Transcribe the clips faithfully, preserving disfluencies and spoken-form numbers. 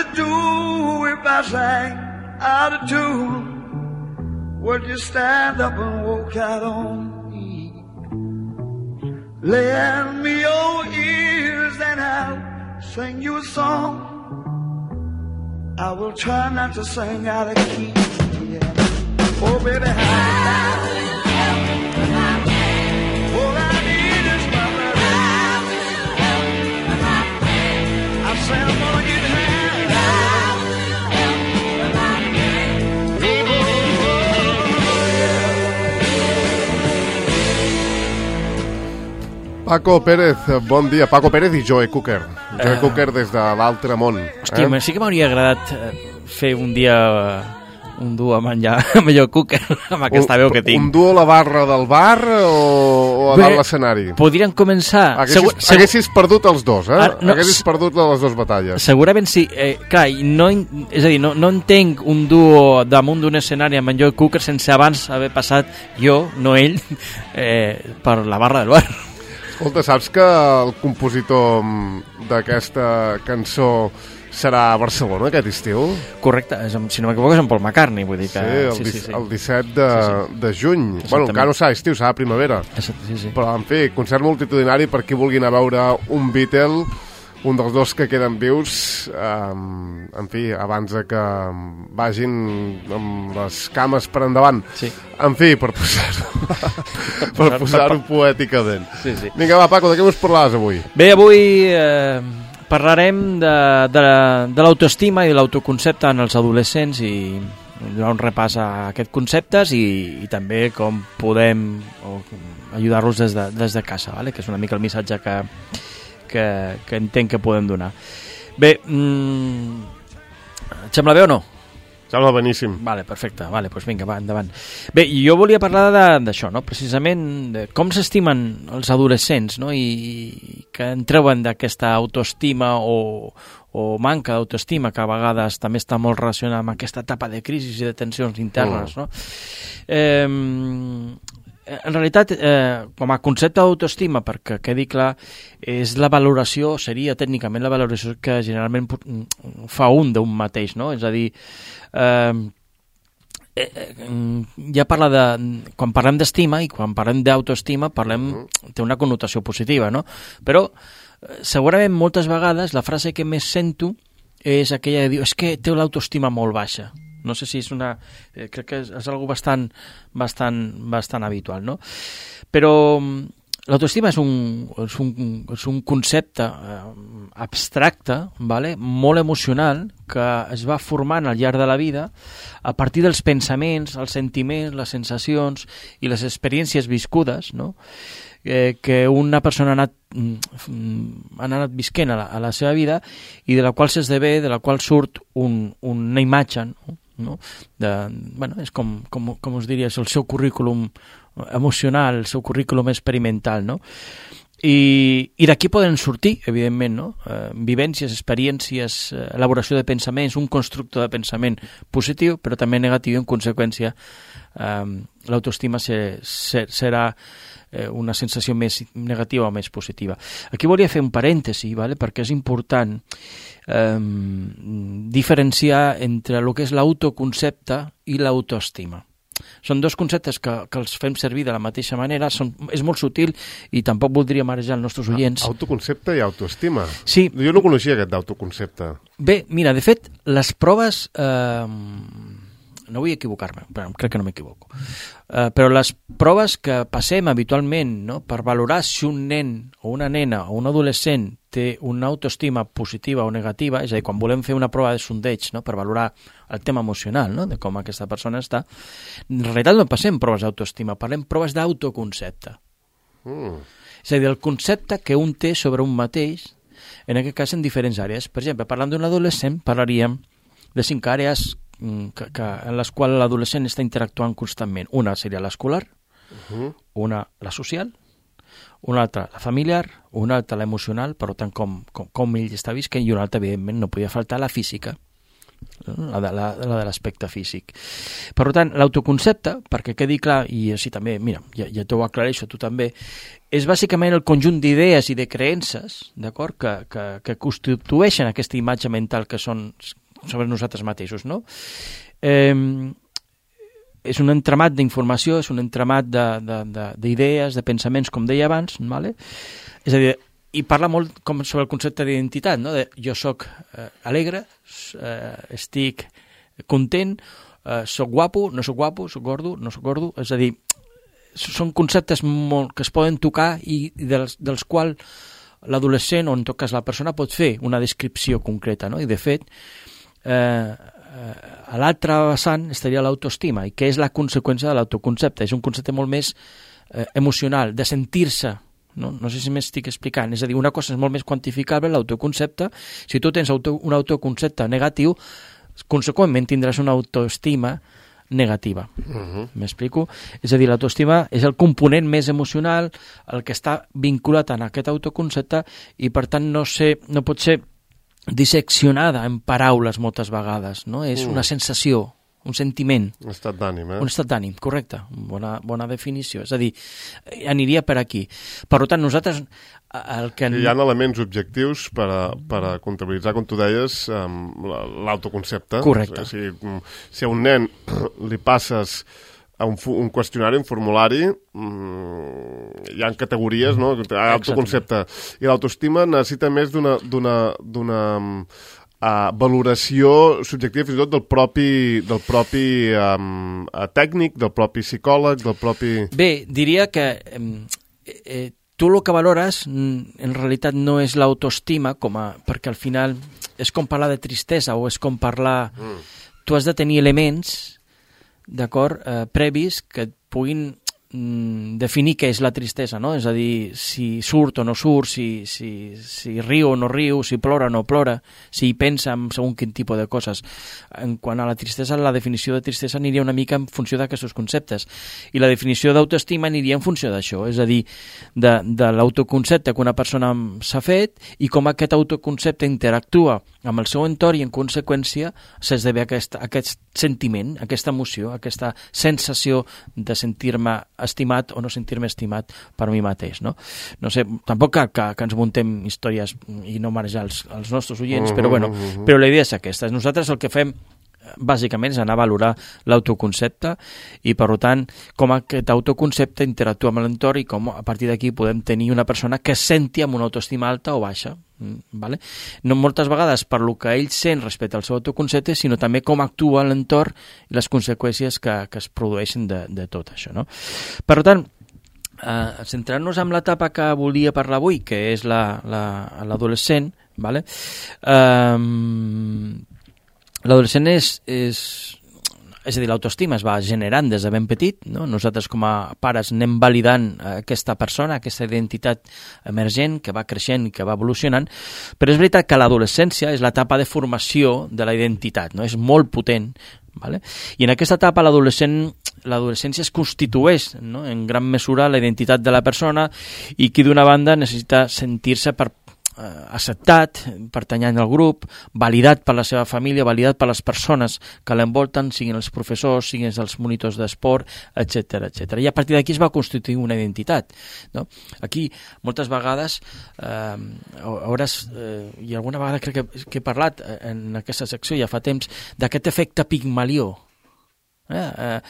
you do if I sang out of tune? Would you stand up and walk out on me? Lend me your ears and I'll sing you a song. I will try not to sing out of key. Yeah. Oh, baby, how all I need is my love. I say I'm gonna get high. Paco Pérez, bon dia. Paco Pérez i Joe Cooker. Joe uh, Cooker des de l'altre món. Hòstia, eh? sí que m'hauria agradat fer un dia un duo amb en, ja, amb Joe Cooker, amb aquesta veu que tinc. Un duo a la barra del bar o, o a dalt l'escenari? Podrien començar... Haguessis, segur, segur... haguessis perdut els dos, eh? Ar, no, haguessis perdut les dues batalles. Segurament sí. Eh, clar, no, és a dir, no, no entenc un duo damunt d'un escenari amb en Joe Cooker sense abans haver passat jo, no ell, eh, per la barra del bar. Escolta, saps que el compositor d'aquesta cançó serà a Barcelona aquest estiu? Correcte, és, si no m'equivoco és en Paul McCartney, vull dir que... Sí, el, sí, sí, sí. el disset de, sí, sí. de juny. Bueno, encara no serà estiu, serà primavera. Sí, sí. Però, en fi, concert multitudinari per qui vulgui anar a veure un Beatle, un dels dos que queden vius, um, en fi, abans de que vagin amb les cames per endavant. Sí. En fi, per posar-ho per posar-ho poèticament. Sí, sí. Vinga, va, Paco, de què us parlaràs avui? Bé, avui eh, parlarem de, de, de l'autoestima i de l'autoconcepte en els adolescents i donar un repàs a aquests conceptes i, i també com podem o, ajudar-los des de, des de casa, vale? Que és una mica el missatge que, que, que entenc que podem donar. Bé, mm, et sembla bé o no? Sembla beníssim. Vale, perfecte. Vale, doncs vinga, va, endavant. Bé, jo volia parlar d'això, no? Precisament de com s'estimen els adolescents, no? I, i que en treuen d'aquesta autoestima o, o manca d'autoestima, que a vegades també està molt relacionada amb aquesta etapa de crisi i de tensions internes, mm. no? Eh, en realitat, eh, com a concepte d'autoestima, perquè quedi clar, és la valoració, seria tècnicament la valoració que generalment fa un d'un mateix, no? És a dir, eh, eh, ja parla de... Quan parlem d'estima i quan parlem d'autoestima, parlem, té una connotació positiva, no? Però, segurament, moltes vegades, la frase que més sento és aquella de dir, és que té l'autoestima molt baixa. No sé si és una... Eh, crec que és, és algo bastant, bastant, bastant habitual, no? Però l'autoestima és un, és un, és un concepte eh, abstracte, vale? Molt emocional, que es va formant al llarg de la vida a partir dels pensaments, els sentiments, les sensacions i les experiències viscudes, no? Eh, que una persona ha anat, ha anat visquent a la, a la seva vida i de la qual s'esdevé, de la qual surt un, una imatge, no? No? De, bueno, és com, com, com us diria, és el seu currículum emocional, el seu currículum experimental, no? I, i d'aquí poden sortir, evidentment, no? Eh, vivències, experiències, eh, elaboració de pensaments, un constructe de pensament positiu, però també negatiu, i en conseqüència eh, l'autoestima se, se, serà eh, una sensació més negativa o més positiva. Aquí volia fer un parèntesi, vale? Perquè és important eh, diferenciar entre el que és l'autoconcepte i l'autoestima. Són dos conceptes que, que els fem servir de la mateixa manera, són, és molt sutil i tampoc voldria marejar els nostres oients. Autoconcepte i autoestima? Sí. Jo no coneixia aquest d'autoconcepte. Bé, mira, de fet, les proves... Eh, no vull equivocar-me, però crec que no m'equivoco. Uh, però les proves que passem habitualment, no, per valorar si un nen o una nena o un adolescent té una autoestima positiva o negativa, és a dir, quan volem fer una prova de sondeig, no, per valorar el tema emocional, no, de com aquesta persona està, en realitat no passem proves d'autoestima, parlem proves d'autoconcepte. Mm. És a dir, el concepte que un té sobre un mateix, en aquest cas en diferents àrees. Per exemple, parlant d'un adolescent, parlaríem de cinc àrees Que, que, en les quals l'adolescent està interactuant constantment. Una seria l'escolar, uh-huh. una la social, una altra la familiar, una altra l'emocional, per tant com, com, com ell està visquent, i una altra, evidentment, no podia faltar la física. la de, la, la de l'aspecte físic. Per tant, l'autoconcepte, perquè quedi clar, i així també, mira, ja, ja t'ho aclareixo, tu també, és bàsicament el conjunt d'idees i de creences, d'acord, que, que, que constitueixen aquesta imatge mental que són sobre nosaltres mateixos, no? Eh, és un entramat d'informació, és un entramat d'idees, de, de, de pensaments, com deia abans, vale? És a dir, i parla molt com sobre el concepte d'identitat, no? De, jo sóc eh, alegre, eh, estic content, eh, soc guapo, no soc guapo, soc gordo, no soc gordo, és a dir, són conceptes molt, que es poden tocar i dels, dels quals l'adolescent, o en tot cas la persona, pot fer una descripció concreta, no? I de fet, eh, a l'altre vessant estaria l'autoestima, i que és la conseqüència de l'autoconcepte. És un concepte molt més eh, emocional, de sentir-se, no? No sé si m'estic explicant, és a dir, una cosa és molt més quantificable, l'autoconcepte. Si tu tens auto, un autoconcepte negatiu, conseqüentment tindràs una autoestima negativa. Uh-huh. M'explico? És a dir, l'autoestima és el component més emocional, el que està vinculat en aquest autoconcepte, i per tant no, sé, no pot ser disseccionada en paraules moltes vegades, no? És mm. una sensació, un sentiment. Un estat d'ànim, eh? Un estat d'ànim, correcte. Bona, bona definició. És a dir, aniria per aquí. Per tant, nosaltres... El que... Hi ha elements objectius per a, per a comptabilitzar, com tu deies, l'autoconcepte. Correcte. O sigui, si a un nen li passes a un, un qüestionari, un formulari, mmm, hi ha categories, no? Autoconcepte. I l'autoestima necessita més d'una d'una d'una uh, valoració subjectiva, fins i tot del propi, del propi um, tècnic, del propi psicòleg, del propi... Bé, diria que eh, eh, tu el que valores en realitat no és l'autoestima, com a, perquè al final és com parlar de tristesa o és com parlar... Mm. Tu has de tenir elements, d'acord, eh, previs que et puguin mm, definir què és la tristesa, no? És a dir, si surt o no surt, si, si, si riu o no riu, si plora o no plora, si hi pensa en segon quin tipus de coses. En quant a la tristesa, la definició de tristesa aniria una mica en funció d'aquests conceptes. I la definició d'autoestima aniria en funció d'això, és a dir, de, de l'autoconcepte que una persona s'ha fet i com aquest autoconcepte interactua amb el seu entorn i en conseqüència s'esdevé aquest, aquest sentiment, aquesta emoció, aquesta sensació de sentir-me estimat o no sentir-me estimat per mi mateix, no? No sé, tampoc que, que, que ens muntem històries i no marejar els, els nostres oients, però bueno, però la idea és aquesta. Nosaltres el que fem bàsicament és anar a valorar l'autoconcepte i, per tant, com aquest autoconcepte interactua amb l'entorn i com a partir d'aquí podem tenir una persona que es senti amb una autoestima alta o baixa. Vale? No moltes vegades per lo que ell sent respecte al seu autoconcepte, sinó també com actua l'entorn i les conseqüències que, que es produeixen de, de tot això, no? Per tant, eh, centrant-nos en l'etapa que volia parlar avui, que és l'adolescent, la, vale? eh, l'adolescent és, és és a dir, l'autoestima es va generant des de ben petit, no? Nosaltres com a pares anem validant aquesta persona, aquesta identitat emergent que va creixent i que va evolucionant, però és veritat que l'adolescència és l'etapa de formació de la identitat, no? És molt potent, vale? I en aquesta etapa l'adolescent l'adolescència es constitueix, no? En gran mesura la identitat de la persona i qui d'una banda necessita sentir-se per acceptat, pertanyant al grup, validat per la seva família, validat per les persones que l'envolten, siguin els professors, siguin els monitors d'esport, etcètera, etcètera. I a partir d'aquí es va constituir una identitat, no? Aquí, moltes vegades, eh, hauràs, eh, i alguna vegada crec que, que he parlat en aquesta secció ja fa temps, d'aquest efecte Pigmalió, Eh, eh,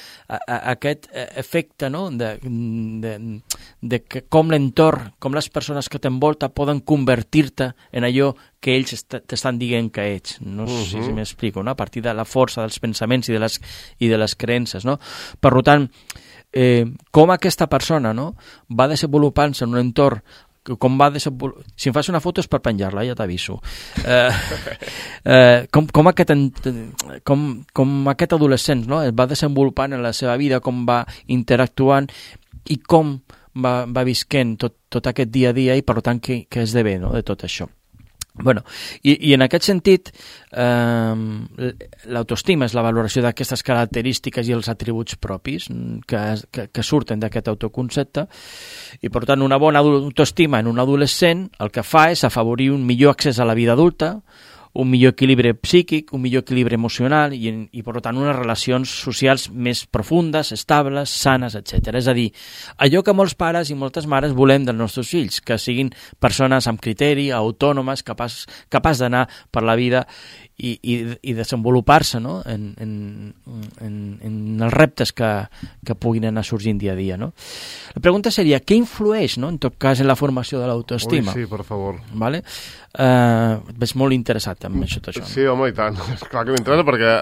aquest efecte, no? de, de, de que com l'entorn, com les persones que t'envolta poden convertir-te en allò que ells t'estan dient que ets. No sé uh-huh. si m'explico, no? A partir de la força dels pensaments i de les, i de les creences, no? Per tant, eh, com aquesta persona, no? Va desenvolupant-se en un entorn, com va desenvolupar... Si em fas una foto és per penjar-la, ja t'aviso. Eh, eh, com, com, aquest, com, com aquest adolescent, no? Es va desenvolupant en la seva vida, com va interactuant i com va, va visquent tot, tot aquest dia a dia i, per tant, què, què esdevé, no? De tot això. Bueno, i, i en aquest sentit, eh, l'autoestima és la valoració d'aquestes característiques i els atributs propis que, que, que surten d'aquest autoconcepte i, per tant, una bona autoestima en un adolescent el que fa és afavorir un millor accés a la vida adulta, un millor equilibri psíquic, un millor equilibri emocional i, i per tant, unes relacions socials més profundes, estables, sanes, etcètera. És a dir, allò que molts pares i moltes mares volem dels nostres fills, que siguin persones amb criteri, autònomes, capaç, capaç d'anar per la vida i, i, i desenvolupar-se, no? en, en, en, en els reptes que, que puguin anar sorgint dia a dia. No? La pregunta seria, què influeix, no? en tot cas, en la formació de l'autoestima? Ui, sí, per favor. Vale? Uh, ves molt interessat en això, tot això. Sí, home, i tant. Clar que m'interessa, perquè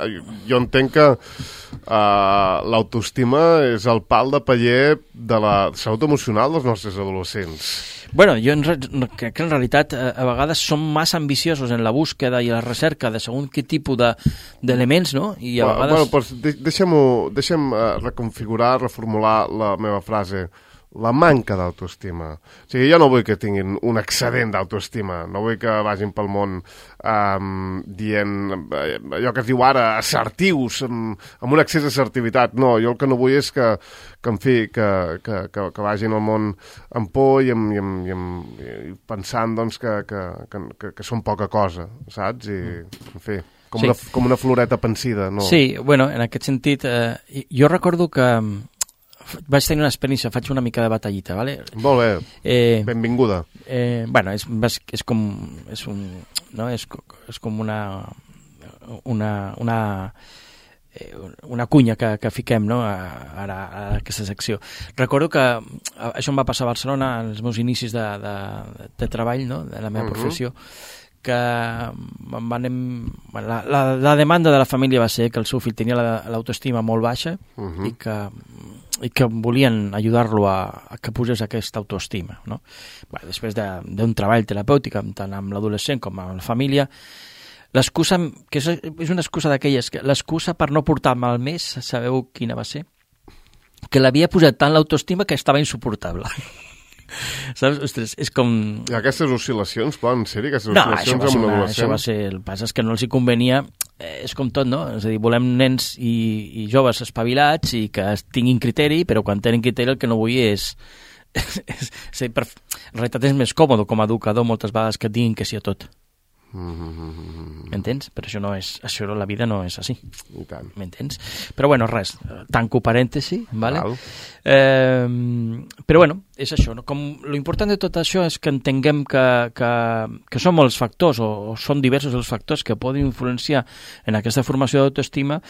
jo entenc que uh, l'autoestima és el pal de paller de la salut emocional dels nostres adolescents. Bueno, jo en, crec que en realitat a, a vegades som massa ambiciosos en la búsqueda i la recerca de segons quin tipus d'elements, de, no? I a vegades... Bueno, pues de, deixem-ho, deixem uh, reconfigurar, reformular la meva frase. La manca d'autoestima. O sigui, jo no vull que tinguin un excedent d'autoestima, no vull que vagin pel món um, dient uh, allò que es diu ara, assertius, amb, amb un excés d'assertivitat. No, jo el que no vull és que, que en fi, que, que, que, que vagin al món amb por i, amb, i, amb, i, amb, i pensant doncs, que, que, que, que, que són poca cosa, saps? I, en fi, com, sí. una, com una floreta pensida. No? Sí, bueno, en aquest sentit, eh, jo recordo que vaig tenir una experiència, faig una mica de batallita, ¿vale? Molt bé, eh, benvinguda. Eh, bueno, és, és com és un, no? és, és com una una una, una cunya que, que fiquem, no? ara a aquesta secció. Recordo que això em va passar a Barcelona als meus inicis de, de, de treball, no? De la meva uh-huh. professió, que van, la, la, la demanda de la família va ser que el seu fill tenia l'autoestima molt baixa uh-huh. i que i que volien ajudar-lo a, a que posés aquesta autoestima. No? Bé, després d'un de, treball terapèutic, tant amb l'adolescent com amb la família, l'excusa, que és, és una excusa d'aquelles, l'excusa per no portar mal més, sabeu quina va ser? Que l'havia posat tant l'autoestima que estava insuportable. Saps? Ostres, és com... I aquestes oscil·lacions poden ser-hi, aquestes no, oscil·lacions amb un una, adolescent? Això va ser... El pas és que no els hi convenia, eh, és com tot, no? És a dir, volem nens i, i joves espavilats i que tinguin criteri, però quan tenen criteri el que no vull és... és, és, és per, en realitat és més còmode com a educador moltes vegades que diguin que sí a tot. Mm-hmm. M'entens? Però això no és... Això la vida no és així. I tant. M'entens? Però bueno, res, tanco parèntesi, vale? Val. Eh, però bueno, és això, no? Com lo important de tot això és que entenguem que, que, que són molts factors o, o són diversos els factors que poden influenciar en aquesta formació d'autoestima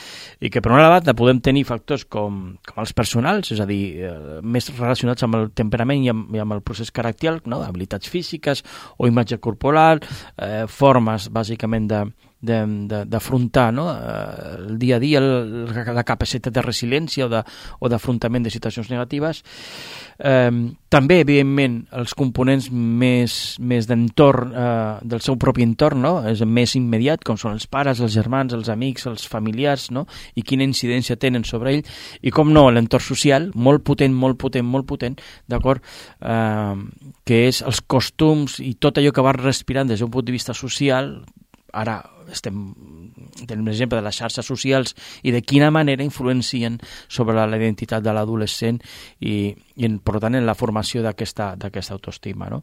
i que per una banda podem tenir factors com, com els personals, és a dir, eh, més relacionats amb el temperament i amb, i amb el procés caracterial, no? Habilitats físiques o imatge corporal, eh, formes bàsicament de d'afrontar, no? el dia a dia, el, la capacitat de resiliència o, de, o d'afrontament de situacions negatives. Eh, també, evidentment, els components més, més d'entorn, eh, del seu propi entorn, no? És més immediat, com són els pares, els germans, els amics, els familiars, no? I quina incidència tenen sobre ell, i com no, l'entorn social, molt potent, molt potent, molt potent, d'acord? Eh, que és els costums i tot allò que va respirant des d'un punt de vista social. Ara estem tenim l'exemple de les xarxes socials i de quina manera influencien sobre la, la identitat de l'adolescent i, i en, per tant en la formació d'aquesta d'aquesta autoestima, no?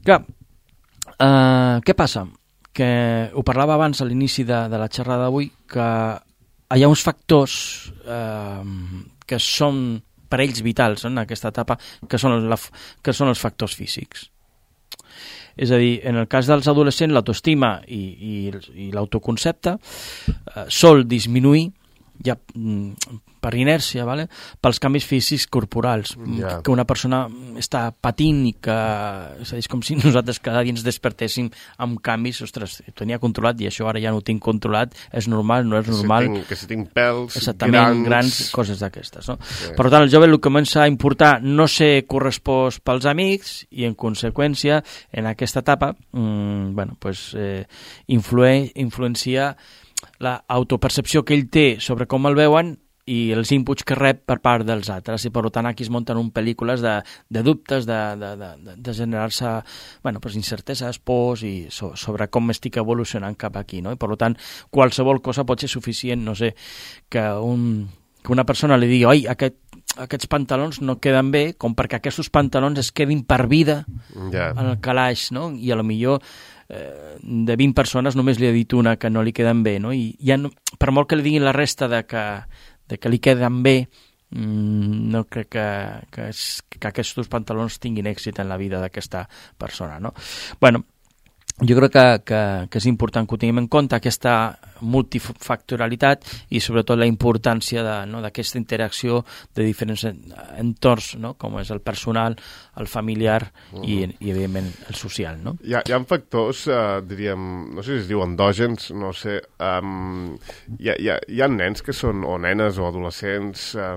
Clar, eh, què passa? Que ho parlava abans a l'inici de, de la xerrada d'avui, que hi ha uns factors eh, que són per ells vitals, no? En aquesta etapa, que són, la, que són els factors físics. És a dir, en el cas dels adolescents, l'autoestima i, i, i l'autoconcepte eh, sol disminuir ja per inèrcia, vale? Pels canvis físics corporals, yeah. que una persona està patint i que és, a dir, és com si nosaltres cada dia ens despertéssim amb canvis, ostres, ho tenia controlat i això ara ja no ho tinc controlat, és normal, no és normal. Que si tinc, que si tinc pèls, exactament, grans... grans coses d'aquestes. No? Sí. Per tant, el jove el comença a importar no ser correspost pels amics i, en conseqüència, en aquesta etapa, mmm, bueno, pues, eh, influe, influencia la autopercepció que ell té sobre com el veuen i els inputs que rep per part dels altres, i per tant aquí es munten un pel·lícules de, de dubtes, de, de, de, de generar-se bueno, pues incerteses, pors i so, sobre com estic evolucionant cap aquí, no? I per tant qualsevol cosa pot ser suficient, no sé, que, un, que una persona li digui oi, aquest, aquests pantalons no queden bé, com perquè aquests pantalons es quedin per vida yeah. en el calaix, no? I a lo millor eh, de vint persones només li ha dit una que no li queden bé, no? I ja no, per molt que li diguin la resta de que, de que li queden bé, mm, no crec que, que, és, que aquests pantalons tinguin èxit en la vida d'aquesta persona, no? Bueno, jo crec que, que, que és important que ho tinguem en compte, aquesta multifactorialitat i sobretot la importància de, no, d'aquesta interacció de diferents entorns, no, com és el personal, el familiar uh-huh. i, i evidentment el social. No? Hi ha, hi ha factors, eh, diríem, no sé si es diu endògens, no sé, um, hi, ha, hi, ha, hi ha nens que són, o nenes o adolescents, eh,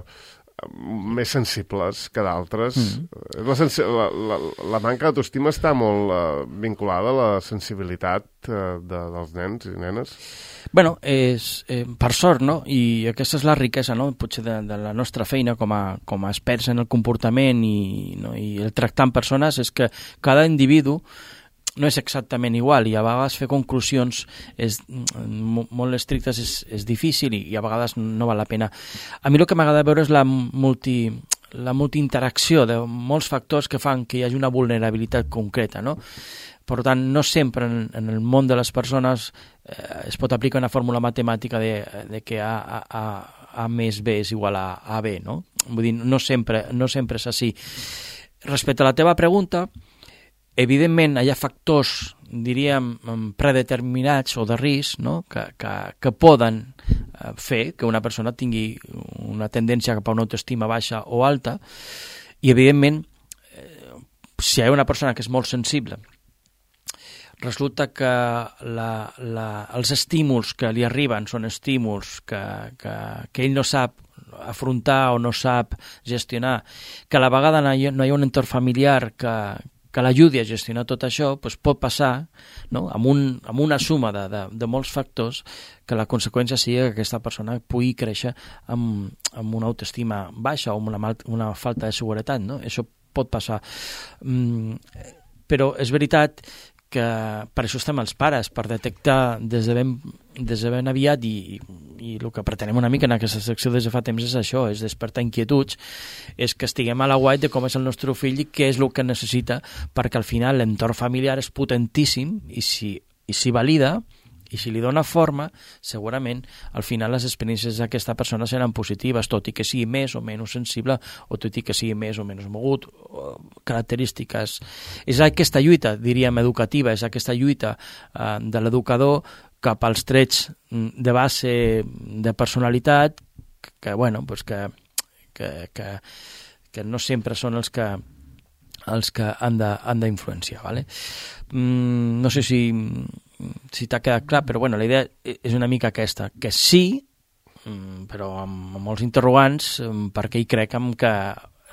més sensibles que d'altres. Mm. La, sensi la, la, la manca d'autoestima està molt uh, vinculada a la sensibilitat uh, de, dels nens i nenes. Bueno, és, eh, per sort, no? I aquesta és la riquesa, no? Potser de, de la nostra feina com a, com a experts en el comportament i, no? I el tractar amb persones és que cada individu no és exactament igual i a vegades fer conclusions és, molt estrictes és, és difícil i, i a vegades no val la pena. A mi el que m'agrada veure és la multi, la multiinteracció de molts factors que fan que hi hagi una vulnerabilitat concreta, no? Per tant, no sempre en, en el món de les persones eh, es pot aplicar una fórmula matemàtica de, de que A, A, A, A més B és igual a A B, no? Vull dir, no sempre, no sempre és així. Respecte a la teva pregunta, evidentment hi ha factors, diríem, predeterminats o de risc, no? que, que, que poden fer que una persona tingui una tendència cap a una autoestima baixa o alta i, evidentment, si hi ha una persona que és molt sensible, resulta que la, la, els estímuls que li arriben són estímuls que, que, que ell no sap afrontar o no sap gestionar, que a la vegada no hi ha, no hi ha un entorn familiar que, que l'ajudi a gestionar tot això, doncs pot passar, no? amb, un, amb una suma de, de, de molts factors que la conseqüència sigui que aquesta persona pugui créixer amb, amb una autoestima baixa o amb una, mal, una falta de seguretat. No? Això pot passar. Mm, però és veritat que per això estem els pares, per detectar des de ben, des de ben aviat i, i el que pretenem una mica en aquesta secció des de fa temps és això, és despertar inquietuds, és que estiguem a l'aguait de com és el nostre fill i què és el que necessita, perquè al final l'entorn familiar és potentíssim i si, i si valida i si li dona forma, segurament al final les experiències d'aquesta persona seran positives, tot i que sigui més o menys sensible o tot i que sigui més o menys mogut, o característiques. És aquesta lluita, diríem, educativa, és aquesta lluita eh, de l'educador cap als trets de base de personalitat que, bueno, pues que, que, que, que no sempre són els que els que han d'influenciar, ¿vale? Mm, no sé si, si t'ha quedat clar, però bueno, la idea és una mica aquesta, que sí, però amb, amb molts interrogants, perquè hi crec que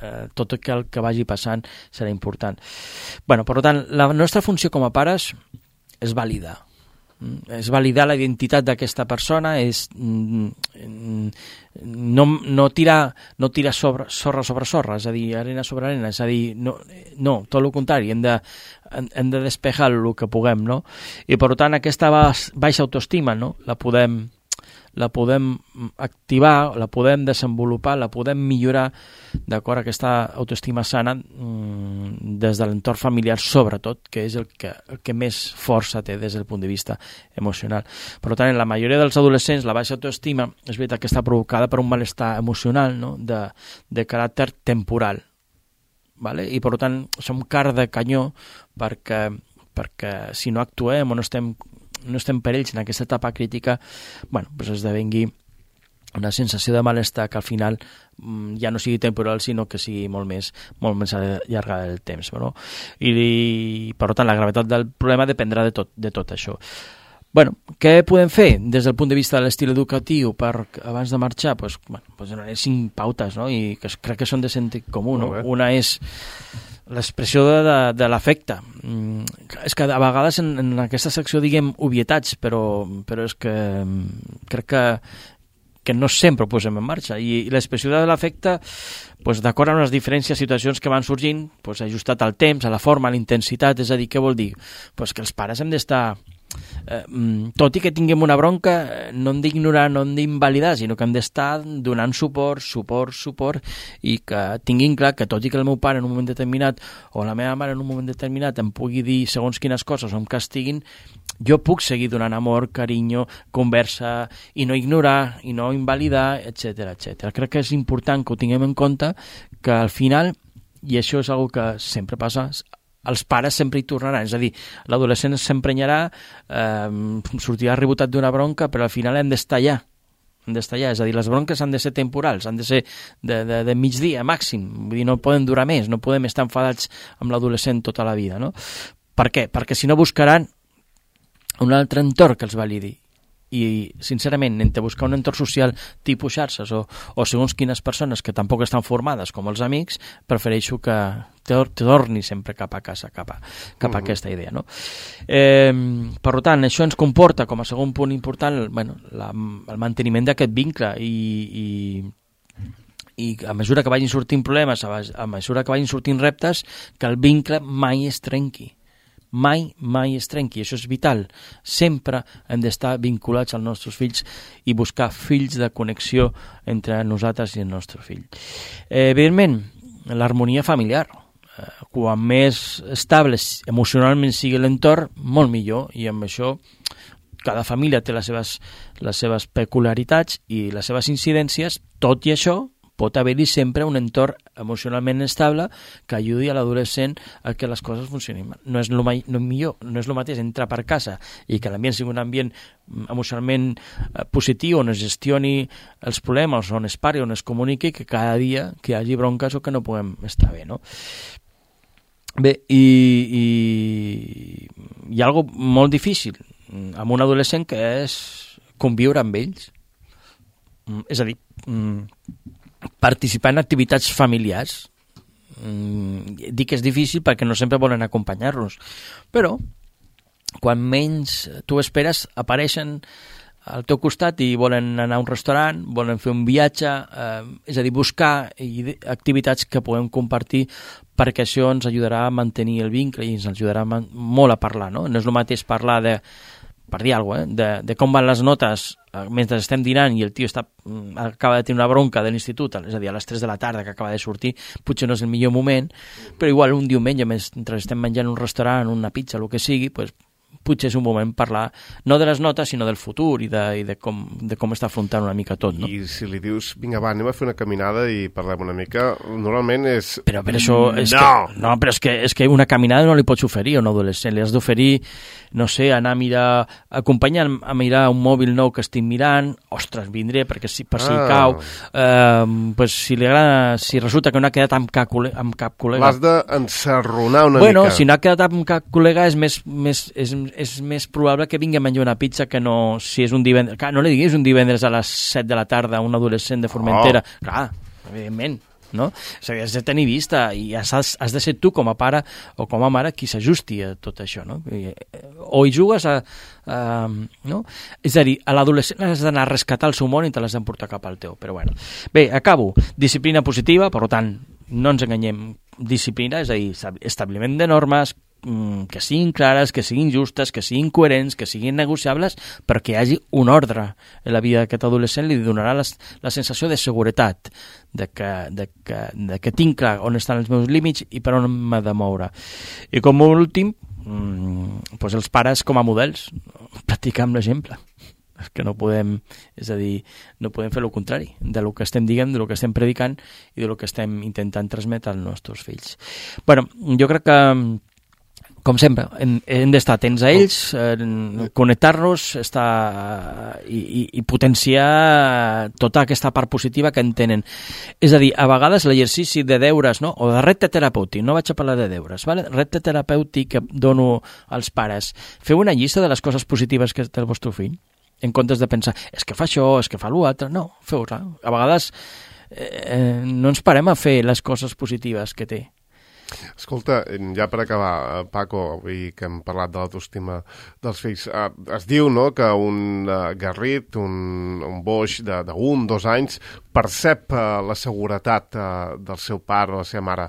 eh, tot el que, el que vagi passant serà important. Bueno, per tant, la nostra funció com a pares és validar. És validar la identitat d'aquesta persona, és no, no tirar, no tirar sobre, sorra sobre sorra, és a dir, arena sobre arena, és a dir, no, no tot el contrari, hem de, hem de despejar el que puguem, no? I per tant aquesta baixa autoestima, no? la podem la podem activar, la podem desenvolupar, la podem millorar, d'acord, aquesta autoestima sana des de l'entorn familiar, sobretot, que és el que, el que més força té des del punt de vista emocional. Per tant, en la majoria dels adolescents, la baixa autoestima és veritat que està provocada per un malestar emocional, no? de, de caràcter temporal. Vale? I per tant, som car de canyó perquè, perquè si no actuem o no estem no estem per ells en aquesta etapa crítica, bueno, doncs esdevengui una sensació de malestar que al final mm, ja no sigui temporal, sinó que sigui molt més, molt més allargada del temps. No? I, I, per tant, la gravetat del problema dependrà de tot, de tot això. Bueno, què podem fer des del punt de vista de l'estil educatiu per, abans de marxar? Pues, bueno, pues donaré cinc pautes, no? I que crec que són de sentit comú. No? Una és l'expressió de, de, de l'afecte. Mm, és que a vegades en, en aquesta secció diguem obvietats, però, però és que crec que, que no sempre ho posem en marxa. I, i l'expressió de l'afecte, pues, d'acord amb les diferents situacions que van sorgint, pues, ajustat al temps, a la forma, a la intensitat, és a dir, què vol dir? Pues que els pares hem d'estar eh, tot i que tinguem una bronca, no hem d'ignorar, no hem d'invalidar, sinó que hem d'estar donant suport, suport, suport, i que tinguin clar que tot i que el meu pare en un moment determinat o la meva mare en un moment determinat em pugui dir segons quines coses o em castiguin, jo puc seguir donant amor, carinyo, conversa, i no ignorar, i no invalidar, etcètera, etcètera. Crec que és important que ho tinguem en compte, que al final, i això és una que sempre passa, els pares sempre hi tornaran, és a dir, l'adolescent s'emprenyarà, eh, sortirà rebotat d'una bronca, però al final hem d'estar allà, hem d'estar allà, és a dir, les bronques han de ser temporals, han de ser de, de, de migdia màxim, vull dir, no poden durar més, no podem estar enfadats amb l'adolescent tota la vida, no? Per què? Perquè si no buscaran un altre entorn que els validi, i sincerament entre buscar un entorn social tipus xarxes o, o segons quines persones que tampoc estan formades com els amics, prefereixo que te, te torni sempre cap a casa, cap a, cap a uh-huh. aquesta idea, no? Eh, per tant, això ens comporta com a segon punt important, bueno, la, el manteniment d'aquest vincle i, i i a mesura que vagin sortint problemes, a mesura que vagin sortint reptes, que el vincle mai es trenqui. Mai, mai es trenqui, això és vital. Sempre hem d'estar vinculats als nostres fills i buscar fills de connexió entre nosaltres i el nostre fill. Eh, evidentment, l'harmonia familiar. Eh, quan més estable emocionalment sigui l'entorn, molt millor, i amb això cada família té les seves, les seves peculiaritats i les seves incidències, tot i això pot haver-hi sempre un entorn emocionalment estable que ajudi a l'adolescent a que les coses funcionin. No és el no millor, no és el mateix entrar per casa i que l'ambient sigui un ambient emocionalment positiu, on es gestioni els problemes, on es pari, on es comuniqui, que cada dia que hi hagi bronques o que no puguem estar bé, no? Bé, i, i hi ha algo molt difícil amb un adolescent que és conviure amb ells. És a dir, participar en activitats familiars. Mm, dic que és difícil perquè no sempre volen acompanyar-los, però quan menys tu esperes apareixen al teu costat i volen anar a un restaurant, volen fer un viatge, eh, és a dir, buscar activitats que podem compartir, perquè això ens ajudarà a mantenir el vincle i ens ajudarà molt a parlar, no? No és el mateix parlar de, per dir alguna cosa, eh, de, de com van les notes mentre estem dinant i el tio està, acaba de tenir una bronca de l'institut, és a dir, a les tres de la tarda que acaba de sortir, potser no és el millor moment, però igual un diumenge mentre estem menjant un restaurant, una pizza, el que sigui, pues, potser és un moment parlar no de les notes sinó del futur i de, i de, com, de com està afrontant una mica tot, no? I si li dius, vinga va, anem a fer una caminada i parlem una mica, normalment és... Però per això... És no! Que, no, però és que, és que una caminada no li pots oferir a un adolescent, li has d'oferir, no sé, anar a mirar, acompanyar a mirar un mòbil nou que estic mirant, ostres, vindré perquè si, per si ah. cau, eh, pues si li agrada, si resulta que no ha quedat amb cap, amb cap col·lega... L'has d'ensarronar una bueno, mica. Si no ha quedat amb cap col·lega és més, més, és, és més probable que vingui a menjar una pizza que no, si és un divendres... Clar, no li diguis un divendres a les set de la tarda a un adolescent de Formentera. Oh. Clar, evidentment, no? O sigui, has de tenir vista i has, has de ser tu com a pare o com a mare qui s'ajusti a tot això, no? I, o hi jugues a... a no? És a dir, a l'adolescent has d'anar a rescatar el seu món i te l'has d'emportar cap al teu, però bueno. Bé, acabo. Disciplina positiva, per tant, no ens enganyem, disciplina, és a dir, establiment de normes, que siguin clares, que siguin justes, que siguin coherents, que siguin negociables, perquè hi hagi un ordre en la vida d'aquest adolescent, li donarà les, la sensació de seguretat, de que, de, que, de que tinc clar on estan els meus límits i per on m'he de moure. I com a últim, mmm, doncs els pares com a models, practicar amb l'exemple. És que no podem, és a dir, no podem fer el contrari de lo que estem dient, de lo que estem predicant i de lo que estem intentant transmetre als nostres fills. Bueno, jo crec que com sempre, hem, hem d'estar atents a ells, eh, connectar-nos estar, i, i, i potenciar tota aquesta part positiva que en tenen. És a dir, a vegades l'exercici de deures, no? O de repte terapèutic, no vaig a parlar de deures, vale? Repte terapèutic que dono als pares. Feu una llista de les coses positives que té el vostre fill, en comptes de pensar, és que fa això, és que fa l'altre. No, feu-la. A vegades eh, no ens parem a fer les coses positives que té. Escolta, ja per acabar, Paco, avui que hem parlat de l'autoestima dels fills, eh, es diu, no?, que un eh, garrit, un, un boix d'un, dos anys, percep eh, la seguretat eh, del seu pare o la seva mare.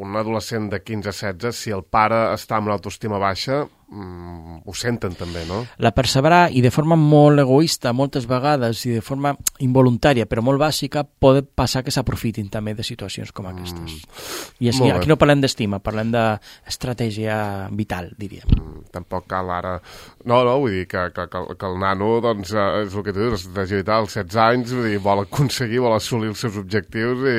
Un adolescent de quinze a setze, si el pare està amb l'autoestima baixa, mm, ho senten també, no? La perseverar i de forma molt egoista moltes vegades i de forma involuntària però molt bàsica pot passar que s'aprofitin també de situacions com aquestes. Mm. I així, aquí no parlem d'estima, parlem d'estratègia vital, diríem. Mm, tampoc cal ara... No, no, vull dir que, que, que, que el nano, doncs, és el que tu dius, l'estratègia vital, als setze anys, vull dir, vol aconseguir, vol assolir els seus objectius i,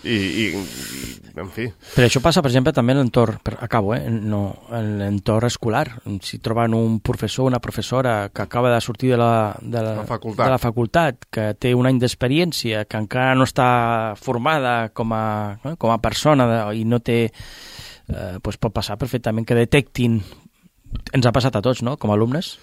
i, i, i en fi. Però això passa, per exemple, també en l'entorn, acabo, eh? No, en l'entorn escolar. Si troben un professor o una professora que acaba de sortir de la, de la, la, facultat. de la facultat, que té un any d'experiència, que encara no està formada com a, eh, com a persona de, i no té... Eh, doncs pot passar perfectament que detectin... Ens ha passat a tots, no?, com a alumnes.